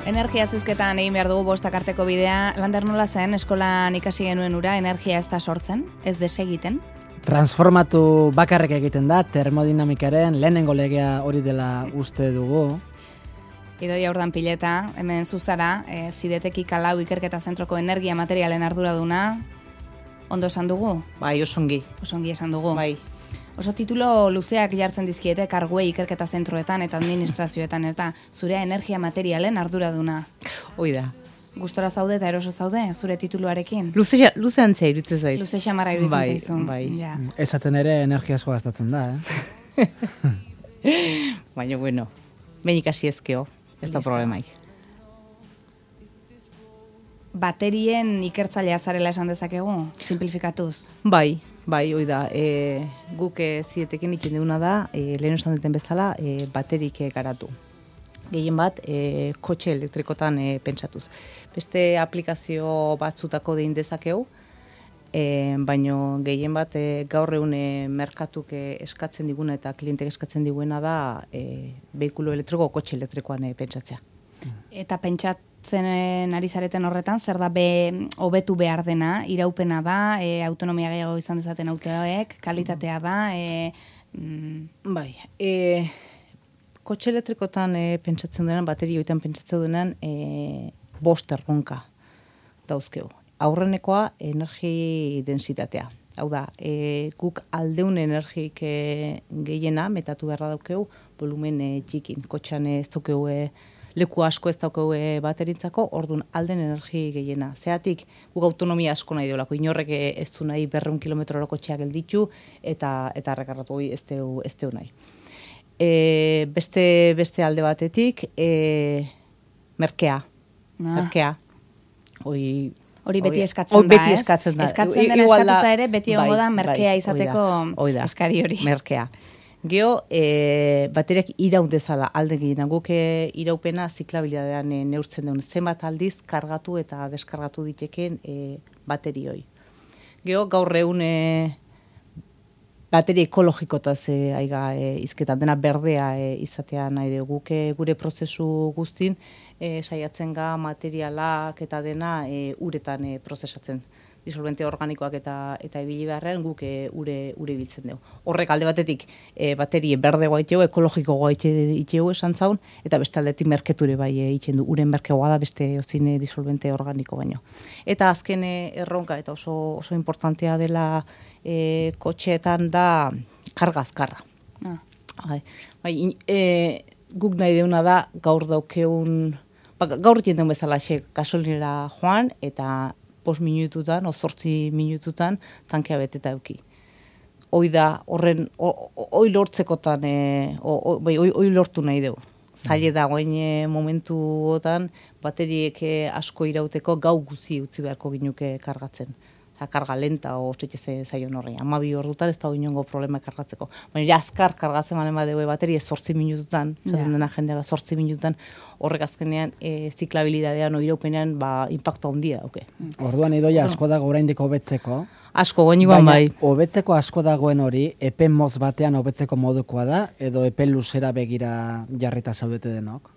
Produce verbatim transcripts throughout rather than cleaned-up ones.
Energia zizketan egin behar dugu bostak arteko bidea. Lander nola zen, eskolan ikasi genuen ura, energia ez da sortzen, ez desegiten? Transformatu bakarrik egiten da, termodinamikaren lehenengo legea hori dela uste dugu. Idoia Urdan Pileta, hemen zuzara, e, Zideteki Kalau Ikerketa Zentroko energia materialen arduraduna, ondo esan dugu? Bai, osongi. Osongi esan dugu. Bai. Oso titulo luzeak jartzen dizkiete karguei ikerketa zentroetan eta administrazioetan eta zurea energia materialen arduraduna. Hoi da. Gustora zaude eta eroso zaude zure tituluarekin? Luze, luze antzea irutzen zait. Luze xamarra irutzen bai, zaizun. Bai, ja. Esaten ere energia asko gastatzen da, eh? Baina, bueno, behin ikasi ezkeo, ez da problemaik. Baterien ikertzailea zarela esan dezakegu, simplifikatuz? Bai, bai, hoi da. E, guk e, Zidetekin itzen duguna da, e, lehen esan duten bezala, e, baterik e, garatu. Gehien bat, e, kotxe elektrikotan e, pentsatuz. Beste aplikazio batzutako dein dezakegu, e, baino gehien bat e, gaur egun e, merkatuk e, eskatzen diguna eta klientek eskatzen diguena da e, behikulo elektriko, kotxe elektrikoan e, pentsatzea. Eta pentsatzen ari zareten horretan, zer da be, hobetu behar dena, iraupena da, e, autonomia gehiago izan dezaten autoek, kalitatea da, e, mm... Bai, e, kotxe elektrikotan e, pentsatzen duenan, baterioetan pentsatzen duenan, e, bost erronka dauzkeu. Aurrenekoa, energi densitatea. Hau da, e, guk aldeun energik e, gehiena, metatu beharra daukeu, volumen e, txikin. Kotxean ez daukeu e, leku asko ez daukeu e, baterintzako, orduan alden energi gehiena. Zeatik, guk autonomia asko nahi deolako, inorrek ez du nahi berreun kilometroro kotxeak gelditu, eta, eta rekarratu hori ez deu, ez deu nahi. E, beste, beste alde batetik, e, merkea. Ah. Merkea. Hoi, Hori beti Oida. eskatzen O, da, beti ez? eskatzen da. Eskatzen dena Igual eskatuta da, ere, beti egongo da merkea bai, izateko oida, eskari hori. Merkea. Geo, e, bateriak iraun dezala alde gehienan. Guk e, iraupena ziklabilidadean e, neurtzen duen. Zenbat aldiz kargatu eta deskargatu diteken e, baterioi. Geo, gaur egun e, bateri ekologikotaz e, aiga e, izketan dena berdea e, izatea nahi dugu. Guk e, gure prozesu guztin e, saiatzen ga materialak eta dena e, uretan e, prozesatzen. Disolvente organikoak eta eta ibili beharrean guk e, ure ure ibiltzen dugu. Horrek alde batetik e, baterie berdegoa itxeu, ekologikoa itxeu esan zaun, eta beste aldetik merketure bai e, itxen du. Uren merkegoa da beste ozine disolvente organiko baino. Eta azken e, erronka eta oso oso importantea dela e, kotxeetan da karga azkarra. Ah. Bai, bai e, guk nahi deuna da gaur daukeun, ba, gaur jenden bezala xe gasolinera joan eta bost minututan, o zortzi minututan, tankea beteta euki. Hoi da, horren, hoi lortzekotan, e, bai, hoi lortu nahi dugu. Zaila da, goain e, momentuotan, bateriek e, asko irauteko gau guzi utzi beharko ginuke kargatzen. Osa, karga lenta, o txetxe zaion horrein. Amabi ordutan ez da inongo problema kargatzeko. Baina, ja, azkar kargatzen balen badegu bateri, zortzi minututan, zaten dena jendeaga zortzi minututan, horrek azkenean e, ziklabilidadean, oiraupenean, ba, impacto handia, oke. Okay. Orduan Idoia asko dago oraindik hobetzeko. Asko, goinikoan bai. Hobetzeko asko dagoen hori, epe moz batean hobetzeko modukoa da, edo epe luzera begira jarrita zaudete denok?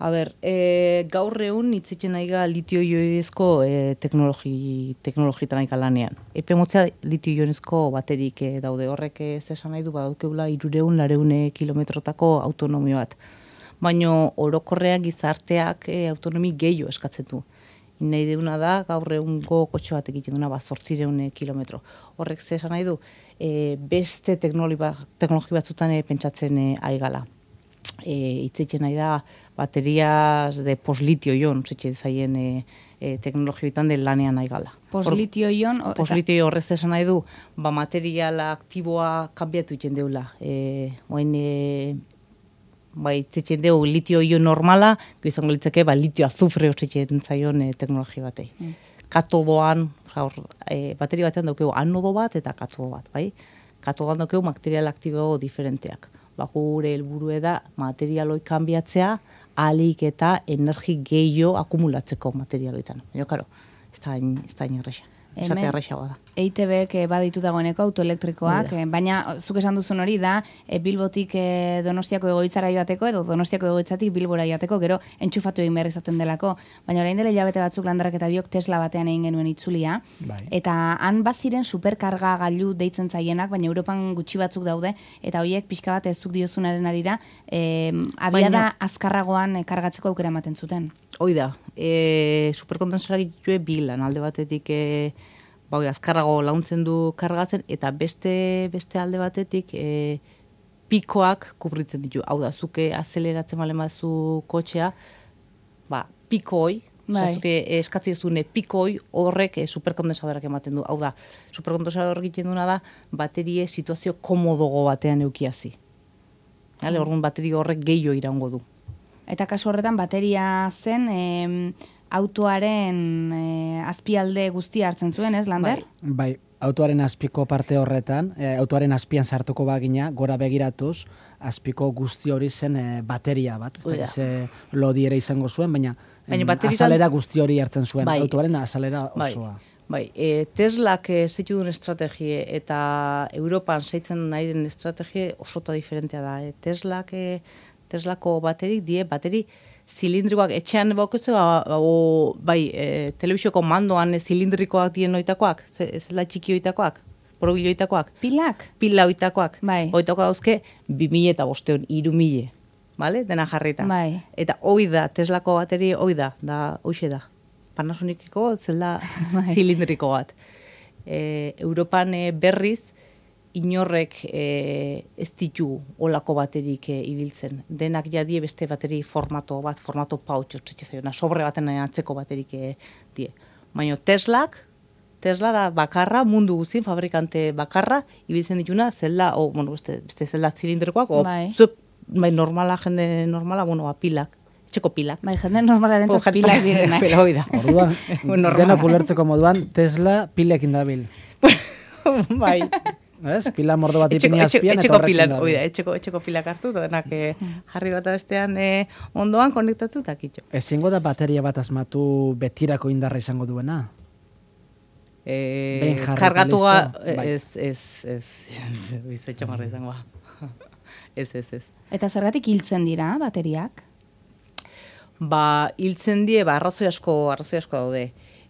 A ber, e, gaur egun hitzitzen aiga litio-ionezko e, teknologi, teknologitan aika lanean. Epe motzea litio-ionezko baterik e, daude horrek ez esan nahi du, badaukeula irureun, lareune kilometrotako autonomio bat. Baina orokorrean gizarteak e, autonomi gehiago eskatzen du. Nahi deuna da, gaur egungo kotxe bat egiten duna, ba, zortzireun kilometro. Horrek ze esan nahi du, e, beste teknologi, ba, teknologi batzutan e, pentsatzen e, aigala. E, itzetzen nahi da, baterias de poslitio-ion, zitxe zaien e, e, teknologioetan de lanean nahi gala. Poslitio-ion? Poslitio horrez esan nahi du, ba, materiala aktiboa kanbiatu iten deula. E, oen, e, bai, itzetzen dugu litio-ion normala, izango litzake, ba, litio-azufre hortzetzen zaion e, teknologia batei. Mm. Katodoan, or, e, bateri batean daukegu anodo bat eta katodo bat, bai? Katodoan daukegu material aktibo diferenteak. Ba, gure helburue da materialoi kanbiatzea, alik eta energi gehiago akumulatzeko materialoetan. Baina, karo, ez da erresa. Esate erresagoa da. E I T Bek baditu dagoeneko autoelektrikoak, eh, baina zuk esan duzun hori da e, Bilbotik e, Donostiako egoitzara joateko edo Donostiako egoitzatik Bilbora joateko, gero entxufatu egin behar izaten delako. Baina orain dela hilabete batzuk Landarak eta biok Tesla batean egin genuen itzulia, Bai. eta han baziren superkarga gailu deitzen zaienak, baina Europan gutxi batzuk daude, eta horiek pixka bat ez zuk diozunaren arira, e, abiada Baina- azkarragoan e, kargatzeko aukera ematen zuten. Hoi da, e, superkondensarak ditue bilan, alde batetik e, ba, hoi, azkarrago launtzen du kargatzen, eta beste beste alde batetik e, pikoak kubritzen ditu. Hau da, zuke azeleratzen balen bazu kotxea, ba, piko hoi, Bai. zuke eskatzi duzune piko hoi horrek e, superkondensadorak ematen du. Hau da, superkondensador egiten duna da, baterie situazio komodogo batean eukiazi. Hale, orduan baterio horrek gehiago iraungo du. Eta kasu horretan bateria zen em, autoaren e, azpialde guztia hartzen zuen, ez, Lander? Bai, autoaren azpiko parte horretan, e, autoaren azpian sartuko bagina, gora begiratuz, azpiko guzti hori zen e, bateria bat. Ez Hoi da. da, ze lodi ere izango zuen, baina, Baina em, bateritan- azalera guzti hori hartzen zuen, Bai. autoaren azalera Bai, osoa. bai. E, Teslak e, zeitu duen estrategie eta Europan zeitzen nahi den estrategie osota diferentea da. E, Teslak, e, Teslako baterik die, bateri zilindrikoak etxean baukezu, o, bai, e, telebisioko mandoan e, zilindrikoak dien oitakoak, ze- ez da txiki oitakoak, porobilo oitakoak, Pilak? pila oitakoak, Bai. oitako dauzke, bi mila eta bosteun, iru mila, vale? Dena jarrita. Bai. Eta hoi da, Teslako bateri hoi da, da, hoxe da. Panasoniceko zelda Bai. zilindriko bat. E, Europan e, berriz, inorrek e, ez ditu olako baterik e, ibiltzen. Denak jadie beste bateri formato bat, formato pouch, ortsetxe zaiona, sobre baten atzeko baterik e, die. Baina Teslak, Tesla da bakarra, mundu guztien fabrikante bakarra, ibiltzen dituna, zelda, o, bueno, beste, beste zelda zilindrikoak, o, Bai. zuek, bai, normala, jende normala, bueno, ba, pilak, etxeko pilak. Bai, jende normalaren O, jat- pilak direnak. Pela hoi da. Orduan, Bueno, normala. denok ulertzeko moduan, Tesla pilekin dabil. Bai. Ez? Pila mordo bat Etxeko, ipini etxeko, azpian eta etxeko horrekin pilan, dabil. hoi da, etxeko, etxeko pilak hartu, eta denak eh, jarri bat bestean eh, ondoan konektatu eta kitxo. Ezingo da bateria bat asmatu betirako indarra izango duena? Eh, Behin jarri kargatu eta ga, listo? Bai. ez, ez, ez, ez, bizitxo marra izango. Ez, ez, ez. Eta zergatik hiltzen dira bateriak? Ba, hiltzen die, ba, arrazoi asko, arrazoi asko daude.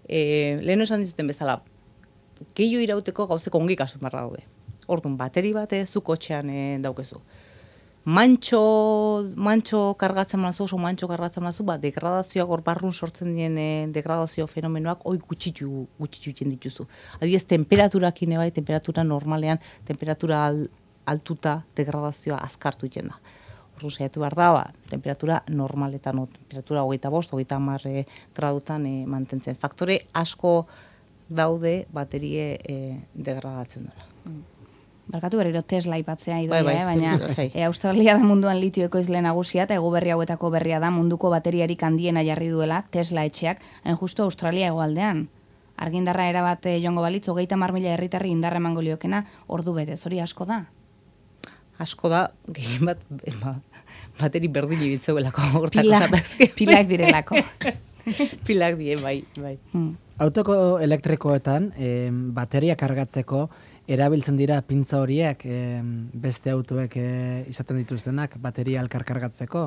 E, lehen esan dizuten bezala, gehiago irauteko gauzeko ongi kasu marra daude. Orduan, bateri bat zu kotxean e, daukezu. Mantxo, mantxo kargatzen mazu, oso mantxo kargatzen mazu, ba, degradazioak hor barrun sortzen dien e, degradazio fenomenoak hoi gutxitu, gutxitu egiten dituzu. Adibidez, temperaturakin bai, temperatura normalean, temperatura al, altuta degradazioa azkartu egiten da. Orduan saiatu behar da, ba, temperatura normaletan, o, temperatura hogeita bost, hogeita hamar e, gradutan e, mantentzen. Faktore asko daude baterie e, degradatzen dena. Barkatu berriro Tesla aipatzea idoia, Bai, bai, eh? baina lasai. e, Australia da munduan litio ekoizle nagusia eta ego berri hauetako berria da munduko bateriarik handiena jarri duela Tesla etxeak, hain justu Australia hegoaldean. Argindarra erabat eh, joango balitz, hogeita hamar mila herritarri indarra emango liokena, ordu betez, hori asko da. Asko da, gehien bat, ba, bateri berdin ibitzeuelako. hortako Pila, zapazke. pilak direlako. Pilak die, bai, bai. Hmm. Autoko elektrikoetan, eh, bateria kargatzeko, erabiltzen dira pintza horiek eh, beste autoek eh, izaten dituztenak, bateria elkar kargatzeko,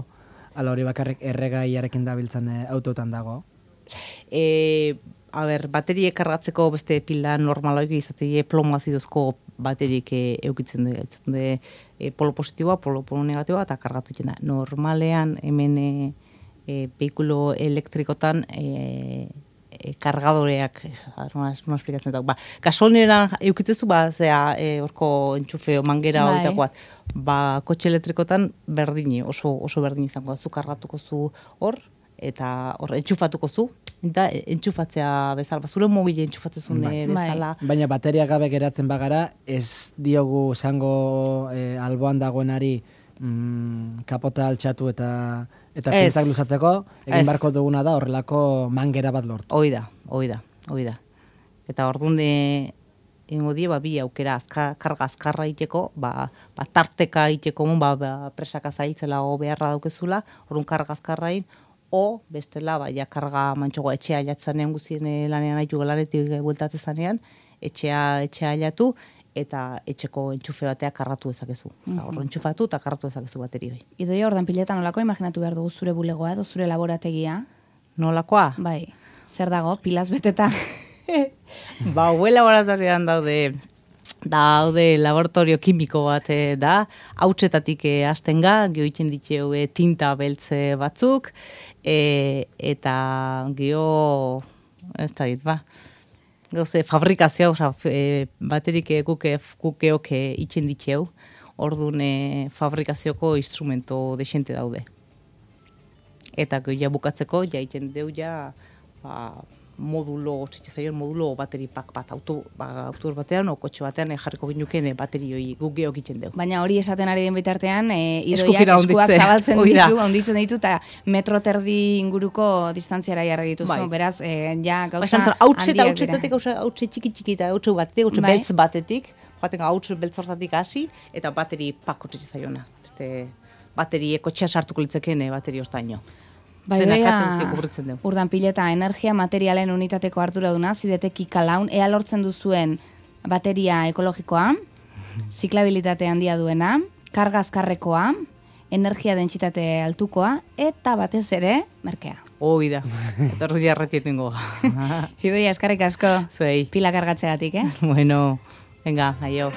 ala hori bakarrik erregaiarekin dabiltzen eh, autotan dago. E, a ber, baterie kargatzeko beste pila normaloik izatea plomo azidozko baterik e, eukitzen du. de e, polo positiboa, polo, polo negatiboa eta kargatu egiten da. Normalean hemen e, e, veikulo elektrikotan e, e, kargadoreak, nola no esplikatzen dut, ba, gasoneran eukitzezu, ba, zera, e, orko entxufe o mangera Bai. horitakoat, ba, kotxe elektrikotan berdini, oso, oso berdini izango da, zu kargatuko zu hor, eta hor entxufatuko zu, eta entxufatzea bezala, ba, zure mobile entxufatzezun Bai. e, bezala, Baina bateria gabe geratzen bagara, ez diogu zango eh, alboan dagoenari mm, kapota altxatu eta eta Ez. pintzak luzatzeko, egin Ez. barko duguna da horrelako mangera bat lortu. hoi da, hoi da, hoi da. Eta orduan e, ingo die, ba, bi aukera azka, karga azkarra iteko, ba, ba, tarteka iteko, ba, ba, presaka zailtzela o beharra daukezula, orduan karga azkarrain, o bestela, ba, ja karga mantxogo etxea jatzanean guzien e, lanean haitu lanetik bueltatze zanean, etxea etxea ailatu, eta etxeko entxufe batea karratu dezakezu. Mm -hmm. Hor entxufatu eta karratu dezakezu baterioi. Idoia, ordan piletan nolako imaginatu behar dugu zure bulegoa edo zure laborategia? Nolakoa? Bai, zer dago, pilaz beteta? Ba, hue laboratorioan daude, daude laboratorio kimiko bat eh, da, hautsetatik eh, hasten ga, geho itzen ditxeu eh, tinta beltze batzuk, eh, eta geho, ez da dit, ba, gauze, fabrikazioa, oza, e, baterik e, guke, gukeok e, itxen ditxeu, orduan e, fabrikazioko instrumento desente daude. Eta geho ja bukatzeko, ja itxen deu ja, ba, modulo, txetxezaion modulo bateri pak bat, auto, ba, autobus batean, o kotxe batean e, jarriko ginuken e, baterioi guk geok itxen deu. Baina hori esaten ari den bitartean, e, idoiak eskuak zabaltzen ditu, onditzen ditu, eta metro terdi inguruko distantziara jarri dituzu, bai. Beraz, e, ja gauza ba, handiak dira. Hautsetatik, hautse txiki txiki eta hautse batetik, hautse bai. Beltz batetik, joaten hautse beltz hortatik hasi, eta bateri pako txetxezaiona. Este, bateri kotxea sartuko litzeken bateri ostaino. Bai, urdan pileta, energia materialen unitateko arduraduna, zidete kikalaun, ea lortzen duzuen bateria ekologikoa, ziklabilitate handia duena, karga azkarrekoa, energia dentsitate altukoa, eta batez ere, merkea. Hoi da, eta rudi arretietengo. Idoia, eskarrik asko, Zuei. Pila kargatzeatik, eh? Bueno, venga, aio.